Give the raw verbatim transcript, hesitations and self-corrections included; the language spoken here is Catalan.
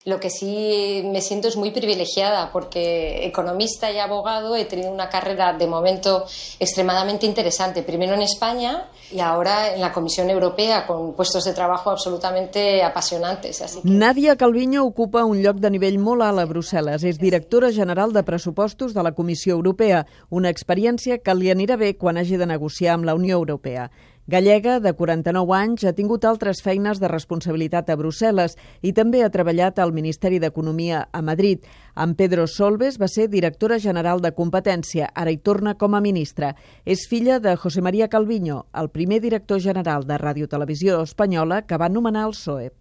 Lo que sí me siento es muy privilegiada porque economista y abogado he tenido una carrera de momento extremadamente interesante, primero en España y ahora en la Comisión Europea con puestos de trabajo absolutamente apasionantes. Así que... Nadia Calviño ocupa un lloc de nivell molt alt a Brussel·les. És directora general de pressupostos de la Comissió Europea, una experiència que li anirà bé quan hagi de negociar amb la Unió Europea. Gallega, de quaranta-nou anys, ha tingut altres feines de responsabilitat a Brussel·les i també ha treballat al Ministeri d'Economia a Madrid. Amb Pedro Solbes va ser directora general de Competència, ara hi torna com a ministra. És filla de José María Calviño, el primer director general de Ràdio Televisió Espanyola que va nomenar el P S O E.